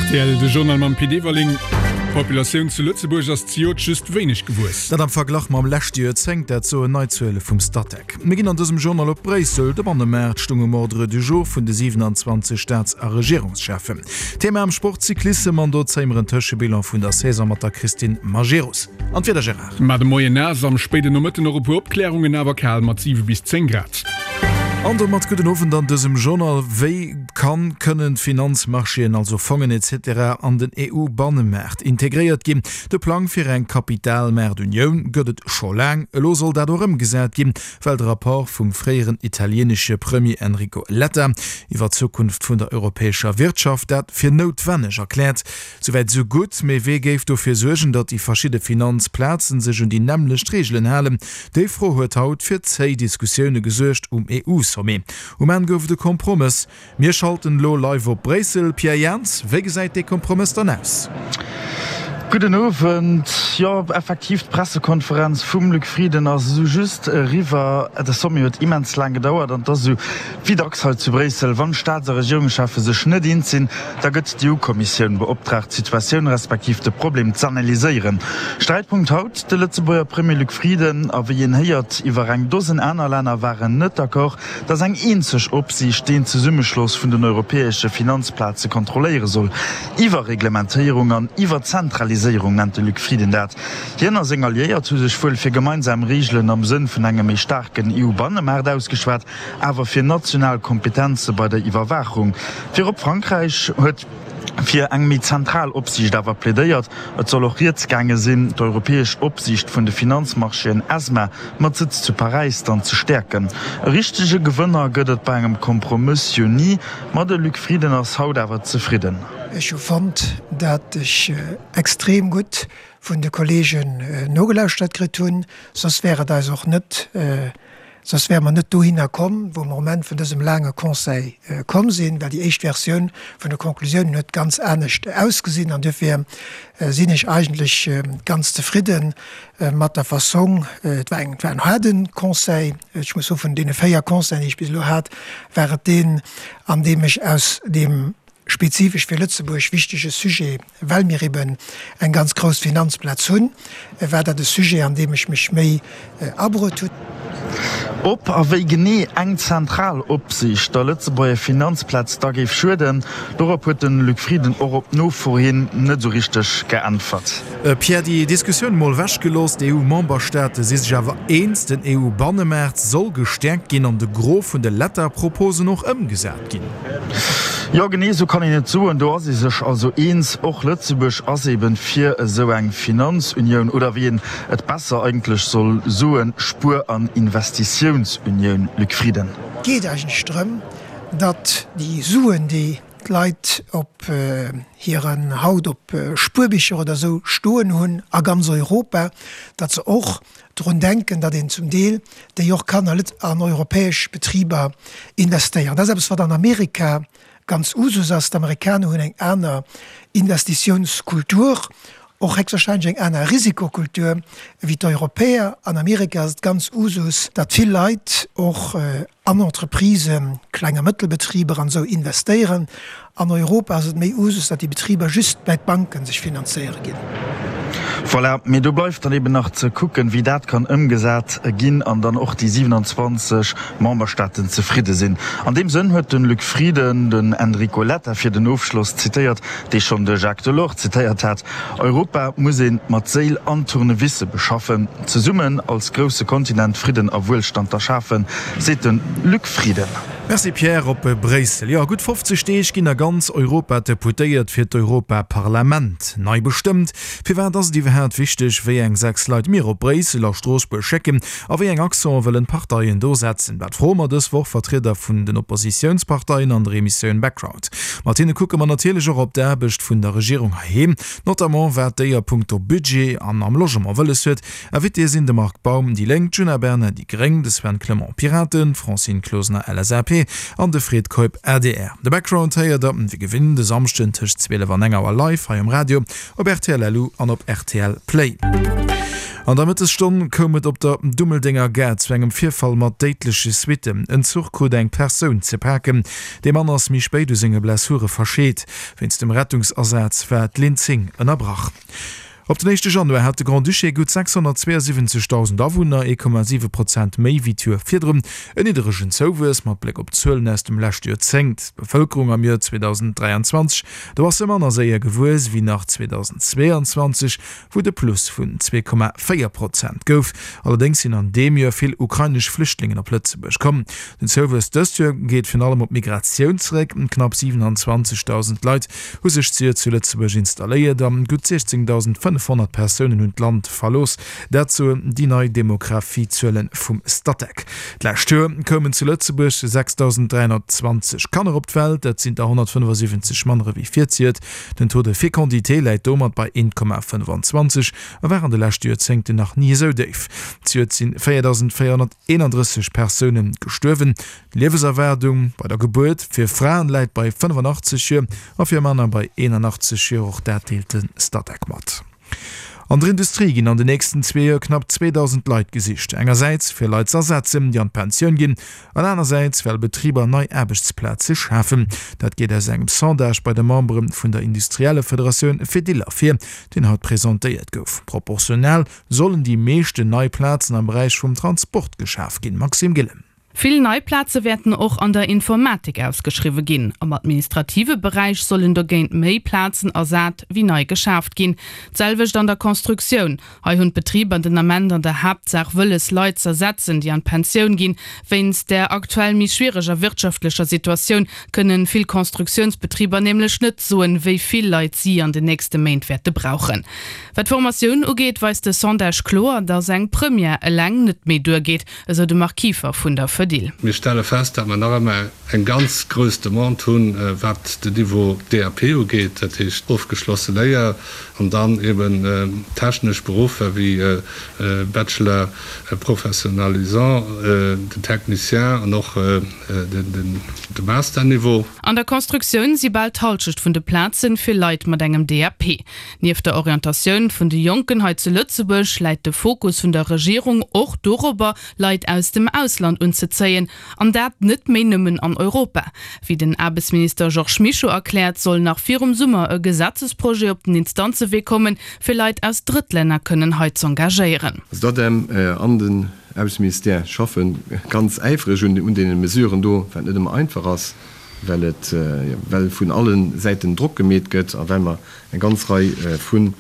Rtl, De Journal mam Pit Everling. D'Populatioun zu Lëtzebuerg ass zejoert just wéineg gewuess. Dat am Verglach mam leschte Joerzéngt, dat soen nei Zuele vum Statec. Mir ginn an dësem Journal op Bréissel. De Bannemaart stung um Ordre du jour vun de 27 Staats a Regierungscheffen. Thema am Sport, Cyclissem an do zéie mer en Tëschebilan vun der Saison mat der Christine Majerus. An d'Wieder, Gérard? Mar de Moien naass, am spéiden Nomëtten och e puer Opklärungen, awer kal mat 7 bis 10 Grad. An domat gudden Owend an dësem Journal. Wéi kann, kënnen d'Finanzmarchéen, also Fongen etc. An den EU-Bannemaart integréiert ginn? De Plang fir eng Kapitalmaartunioun gëtt et scho laang. Elo soll dat och ëmgesat ginn, well de Rapport vum fréieren italienesche Premier Enrico Letta iwwer d'Zukunft vun der europäescher Wirtschaft dat fir noutwenneg erkläert. Souwäit esou gutt, mee wee géif dofir suergen, datt déi verschidde Finanzplazen sech un déi nämmlecht Reegelen halen? Déi Fro huet haut fir zéi Diskussioune gesuergt um EU-Sommet. Um Enn gouf et e Kompromëss. Mir schalten elo live op Bréissel. Pierre Jans, wéi gesäit dee Kompromëss dann aus? Gudden Owend. Jo, effektiv, d'Pressekonferenz vum Luc Frieden ass esou just eriwwer. De Sommet huet immens laang gedauert an et ass esou wéi dacks hei zu Bréissel, wann d'Staats a Regierungscheffe sech net eens sinn, Da gëtt d'EU-Kommissioun beoptraagt, d'Situatioun respektiv de Problem z'analyséieren. Sträitpunkt haut, de Lëtzebuerger Premier Luc Frieden a wéi een héiert iwwer eng Dosen aner Länner waren net d'accord, datt eng eenzeg Opsiicht deen Zesummeschloss vun den europäesche Finanzplaze kontrolléiere soll. Iwwerreglementéierung an Iwwerzentraliséierung nennt de Luc Frieden dat. Hien a seng Alliéiert hu sech wuel fir gemeinsam Reegelen am Sënn vun engem méi staarken EU-Bannemaart ausgeschwat, awer fir national Kompetenze bei der Iwwerwaachung. Virop Frankräich huet fir eng méi zentral Opsiicht awer plädéiert. Et soll och rieds gaange sinn, d'europäesch Opsiicht vun de Finanzmarchéen, ESMA, mat Sëtz zu Paräis dann ze stäerken. E richtege Gewënner gëtt et bei engem Kompromëss jo ni, ma de Luc Frieden ass haut awer zefridden. Ech hu fonnt, dat ech extrem gutt vun de Kollegen nogelauschtert kritt hunn, soss wär et eis och net Soss wäre mer net dohinner komm, wou mer um Enn vun dësem laange Conseil komm sinn, well déi éischt Versioun vun de Konklusiounen huet ganz anescht ausgesinn. An duerfir sinn ech eigentlech ganz zefridde mat der Fassong. Et war eng, et war en haarde Conseil. Ech muss soen, vun deene 4 Conseilen, déi ech bis elo hat, war et deen, an deem ech aus deem spezifesch fir Lëtzebuerg wichtege Sujet, well mir eben eng ganz grouss Finanzplaz hunn, war dat e Sujet, an deem ech mech méi abruet hunn. Ob a wéi genee eng zentral Opsiicht der Lëtzebuerger Finanzplaz da géif schueden, dorop huet de Luc Frieden och op Nofro hin net esou richteg geäntwert. Pierre, déi Diskussioun mol ewech gelooss, d'EU-Memberstaate si sech awer eens, den EU-Bannemaart soll gestäerkt ginn an de Gros vun de Letta-Proposen och ëmgesat ginn. Jo, genee esou kann een et soen. Do ass ee sech also eens. Och Lëtzebuerg ass eben fir esou eng Finanzunioun, oder wéi een et besser eigentlech soll soen, Spuer an Investitiounsunioun. Luc Frieden. Et geet eigentlech drëm, datt déi Suen, déi d'Leit op hiren, haut op Spuerbicher oder esou stoen hunn a ganz Europa, datt se och drun denken, datt een zum Deel déi och kann an europäesch Betriber investéieren. Dat ass eppes, wat an Amerika ganz Usus ass. D'Amerikaner hunn eng aner Investitiounskultur, och héchstwahrscheinlech eng aner Risikokultur wéi d'Europäer. An Amerika ass et ganz Usus, datt vill Leit och an Entreprisen, Kleng a Mëttelbetriber an esou investéieren. An Europa ass et méi Usus, datt déi Betriber just bäi d'Banken sech finanzéiere ginn. Voilà, mee do bleift dann eben nach ze kucken, wéi dat kann ëmgesat ginn an dann och déi 27 Memberstaaten zefridde sinn. An deem Sënn huet de Luc Frieden den Enrico Letta fir den Ofschloss zitéiert, dee schonn de Jacques Delors zitéiert hat, Europa muss ee mat Séil an Tournevisse beschaffen. Zesummen als grousse Kontinent Fridden a Wuelstand erschafen, seet de Luc Frieden. Merci Pierre. Op Bréissel, jo, a gutt 50 Deeg ginn a ganz Europa d'Deputéiert fir d'Europaparlament nei bestëmmt. Firwat ass et iwwerhaat wichteg, wéi eng 6 Leit mir op Bréissel a Stroossbuerg schécken a wéi eng Accenten wëllen d'Parteien do setzen? Dat froe mer dës Woch Vertrieder vun den Oppositiounsparteien an der Emissioun Background. Mat hinne kucke mer natierlech och op d'Aarbecht vun der Regierung heiheem. Notamment wat déi a punkto Budget an am Logement wëlles huet. Invitéë sinn de Marc Baum, déi Lénk, d'Djuna Bernard, déi Gréng, de Sven Clement, Piraten, d'Francine Closener, LSAP, an de Fred Keup, adr. De Background héiert der wéi gewinnt e Samschden tëscht 12 an 1 Auer live hei um Radio, op rtl LU an op rtl Play. An der Mëttesstonn koum et op der Dummeldenger Gare zu engem Virfall mat déidleche Suitten. En Zuch krut eng Persoun ze paken. Dee Mann ass méi spéit u senge Blessure verscheet. Wéinst dem Rettungsasaz war d'Linn 10 ënnerbrach. Op den éischte Januar hat de Grand-Duché gutt 672.000 Awunner, 1,7 Prozent méi wéi d'Joer virdrun. En nidderegen Zouwuess mat Bléck op d'Zuelen aus dem leschte Joerzéngt. D'Bevëlkerung am Joer 2023, do ass se manner séier gewuess wéi nach 2022, wou et e Plus vun 2,4 Prozent gouf. Allerdéngs sinn an deem Joer vill ukrainesch Flüchtlingen op Lëtzebuerg komm. Den Zouwuess dëst Joer geet virun allem op d'Migratioun zeréck. Knapp 27.000 Leit hu sech zejoert zu Lëtzebuerg installéiert a gutt 16.500 Persounen hunn d'Land verlooss. Dat soen déi nei Demografiezuele vum Statec. D'lescht Joer koumen zu Lëtzebuerg 6.320 Kanner op d'Welt, dat sinn der 175 manner ewéi virzejoert. Den Taux de fécondité läit domat bei 1,25 a war an de leschte Joerzéngten nach ni esou déif. Zejoert si 4.431 Persoune gestuerwen. D'Liewenserwaardung bei der Gebuert fir Fraen läit bei 85 Joer a fir Männer bei 81 Joer. Och dat deelt de Statec mat. An der Industrie ginn an de nächsten zwee Joer knapp 2.000 Leit gesicht. Engersäits fir Leit z'ersetzen, déi an d'Pensioun ginn, an anersäits well Betriber nei Aarbechtsplaze schafen. Dat geet aus engem Sondage bei de Membere vun der Industriellefederatioun Fedil ervir, deen haut presentéiert gouf. Proportional sollen déi meeschten nei Plazen am Beräich vum Transport geschaf ginn. Maxime Gillen. Vill nei Plaze wäerten och an der Informatik ausgeschriwwe ginn. Am administrative Beräich sollen dogéint méi Plazen ersat wéi nei geschaaft ginn. D'selwecht an der Constructioun. Hei hunn d'Betriber den Ament an der Haaptsaach wëlles, Leit z'ersetzen, déi an d'Pensioun ginn. Wéinst där aktuell méi schwiereger wirtschaftlecher Situatioun kënnen vill Constructiounsbetriber nämlech net soen, wéi vill Leit si an den nächste Méint wäerte brauchen. Wat d'Formatioun ugeet, weist de Sondage kloer, datt eng Première eleng net méi duergeet. Esou de Marc Kieffer vun der Fedil. Mir stelle fest, datt mer nach ëmmer eng ganz grouss Demande hunn, wat den Niveau DAP ugeet, dat heescht ofgeschlosse Léier, an dann eben technesch Beruffer wéi Bachelor professionnalisant, den Technicien an och de Masterniveau. An der Constructioun si bal d'Hallschecht vun de Plazen fir Leit mat engem DAP. Nieft der Orientatioun vun de Jonken hei zu Lëtzebuerg läit de Fokus vun der Regierung och dorobber, Leit aus dem Ausland unzezéien, an dat net méi nëmmen an Europa. Wéi den Aarbechtsminister Georges Mischo erkläert, soll nach virum Summer e Gesetzesprojet op den Instanzewee kommen, fir Leit aus Drëttlänner kënnen hei z'engagéieren. Also d'ADEM an den Aarbechtsministère schaffe ganz äifreg un deene Mesuren do, wat net ëmmer einfach ass, well et, well vun alle Säiten Drock gemeet gëtt a well mer eng ganz Rei vu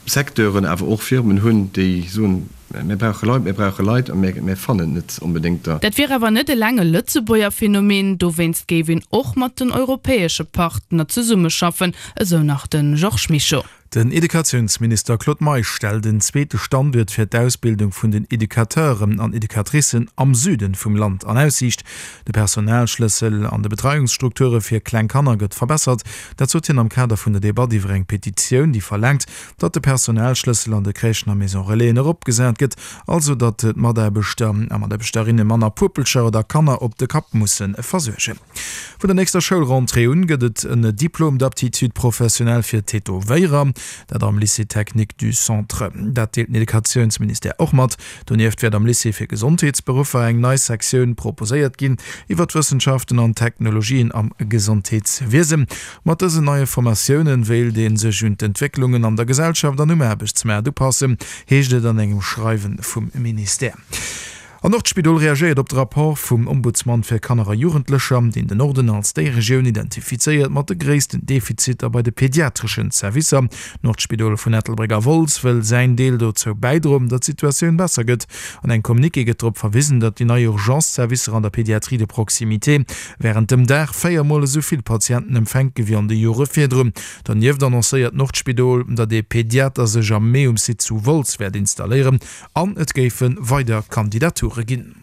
Secteuren, awer och Firmen hunn, déi soen, Mir brauche Leit, mir brauche Leit a mir fannen net onbedéngt der. Dat wier awer net eleng e Lëtzebuerger Phänomen, dowéinst géif een och mat den europäesche Partner zesummeschaffen, esou nach de Georges Mischo. Den Educatiounsminister Claude Meisch stellt en zweete Standuert fir d'Ausbildung vun den Educateuren an Educatricen am Süden vum Land an Aussiicht. De Personalschlëssel an de Betreiungsstrukture fir kleng Kanner gëtt verbessert. Dat sot hien am Kader vun der Debatt iwwer eng Petitioun, déi verlaangt, datt de Personalschlëssel an de Crèchen a Maison Relaisen eropgesat gëtt, also datt d'Mataarbechter a Mataarbechterinne manner Puppelcher oder Kanner op de Kapp musse versuergen. Vun der nächster Schoulrentrée un gëtt et en Diplôme d'aptitude professionnelle fir Tätowéierer, dat am Lycée technique du Centre. Dat deelt den Educatiounsministère och mat. Donieft wäert am Lycée fir Gesondheetsberuffer eng nei Sektioun proposéiert ginn iwwer d'Wëssenschaften an d'Technologien am Gesondheetswiesen. Mat dësen neie Formatioune wéilt ee sech un d'Entwécklungen an der Gesellschaft an um Aarbechtsmaart upassen, heescht et an engem Schreiwe vum Ministère. An och d'Spidol reagéiert op de Rapport vum Ombudsman fir Kanner a Jugendlecher, deen den Norden als déi Regioun identifizéiert mat de gréissten Defiziter bei de pediatreschen Servicer. D'Nordspidol vun Ettelbréck a Wolz wëll säin Deel dozou bäidroen, datt d'Situatioun besser gëtt. An engem Communiqué gëtt drop verwisen, datt déi nei Urgence-Servicer an der Pédiatrie de proximité wärend dem Dag 4 Mol esou vill Patienten empfänke wéi an de Jore virdrun. Donieft annoncéiert d'Nordspidol, datt ee Pediater sech am Mee um Site zu Wolz wäert installéieren. An et géife weider Kandidature ginn.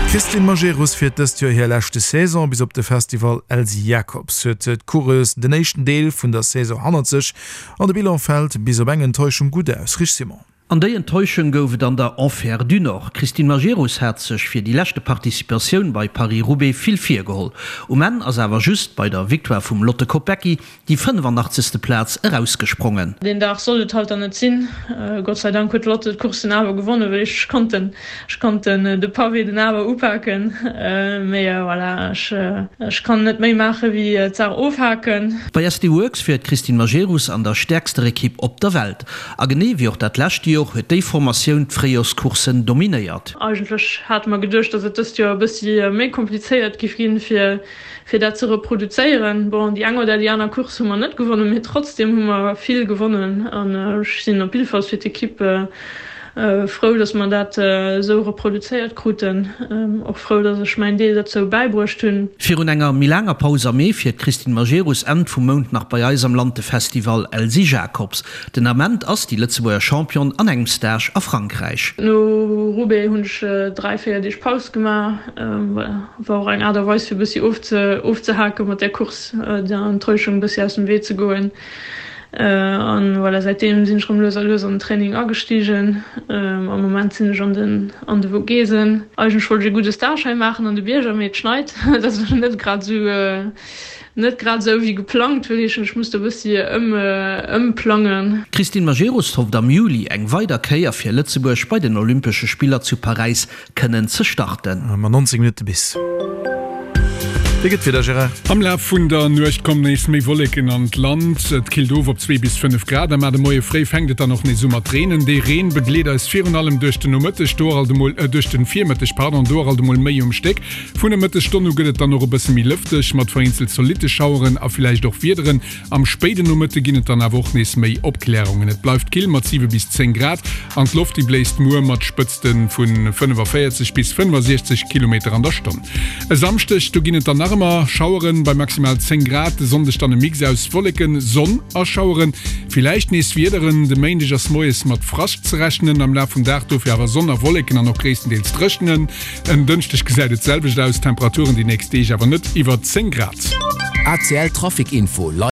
D'Christine Majerus fiert dëst Joer hir leschte Saison. Bis op de Festival Elsy Jacobs huet d'Coureuse den éischten Deel vun der Saison hannert sech an de Bilan fält bis op eng Enttäuschung gutt aus. Rich Simon. An déi Enttäuschung gouf et an der Enfer du Nord. D'Christine Majerus hat sech fir déi leschte Participatioun bei Paris-Roubaix vill virgeholl. Um Enn ass awer just bei der Victoire vum Lotte Kopecky déi 85. Plaz erausgesprongen. Deen Dag sollt et halt dann net sinn. Gott sei Dank huet d'Lotte d'Course den awer gewonnen, well ech konnt den, ech konnt den de Pavé den awer upaken. Mee voilà, ech, ech kann net méi maache wéi d'Saach ofhaken. Bei SD Worx fiert d'Christine Majerus an der stäerkster Ekipp op der Welt. A genee wéi och dat lescht Jor huet déi Formatioun d'Fréijorscourssen dominéiert. Eigentlech hate mer geduecht, datt et dëst Joer e bëssi méi komplizéiert giff ginn, fir fir dat ze reproduzéieren. Bon, déi eng oder déi aner Course hu mer net gewonnen, mee trotzdem hu mer vill gewonnen an ech sinn op jiddefalls fir d'Ekipp frou, dass mer dat esou reproduzéiert kruten. Och frou, dass ech mäin Deel derzou bäibruecht hunn. Virun enger méi laanger Paus am Mee fiert d'Christine Majerus Enn vum Mount nach bei eis am Land de Festival Elsy Jacobs. Den Ament ass déi Lëtzebuerger Championne an engem Stage a Frankräich. No Roubaix hunn ech 3, 4 Deeg Paus gemaach. Voilà, war och eng Aart a Weis fir e bëssi ofzehaken mat där Course, der Enttäuschung e bëssi aus dem Wee ze goen. An voilà, säitdeem sinn ech rëm lues a lues an den Training agestigen. Am Moment sinn ech an den an de Vogesen. Eigentlech wollt ech e gudde Stage hei maachen an de Bierger, mee et schneit. Dat ass elo net grad esou Net grad esou wéi geplangt, wëll heeschen ech muss do e bëssi ëmplangen. D'Christine Majerus hofft am Juli eng weider Kéier fir Lëtzebuerg bei den Olympesche Spiller zu Paräis kënnen ze starten. Mat 19 Minutte bis. Wéi gëtt d'Wieder, Gérard? Am Laf vun der Nuecht kommen nees méi Wolleken an d'Land. Et killt of op 2 bis 5 Grad a mar de Moie fréi fänkt et dann och nees u mat reenen. Dee Reen begleet eis virun allem duerch den Nomëtteg, do och alt emol, duerch den Virmëtteg, pardon, do och alt emol méi um Stéck. Vun der Mëttesstonn u gëtt et dann och e bësse méi lëfteg, mat vereenzelt zolitte Schaueren a villäicht och Wiederen. Am spéiden Nomëtte ginn et dann awer och nees méi Opklärungen. Et bleift kill mat 7 bis 10 Grad an d'Loft déi bléist muer mat Spëtzte vu 45 bis 65 Kilometer an der Stonn. E Samschdeg, do ginn et dann nach ëmmer Schaueren bei maximal 10 Grad, de Sonndeg dann e Mix aus Wolleken, Sonn a Schaueren, villäicht nees Wiederen. De Méindeg ass moies mat Frascht ze rechnen, am Laf vum Dag dofir awer Sonn a Wolleken an och gréisstendeels dréchnen. En Dënschdeg gesäit et d'selwecht aus, Temperaturen déi nächst Deeg awer net iwwer 10 Grad. ACL Trafic Info live.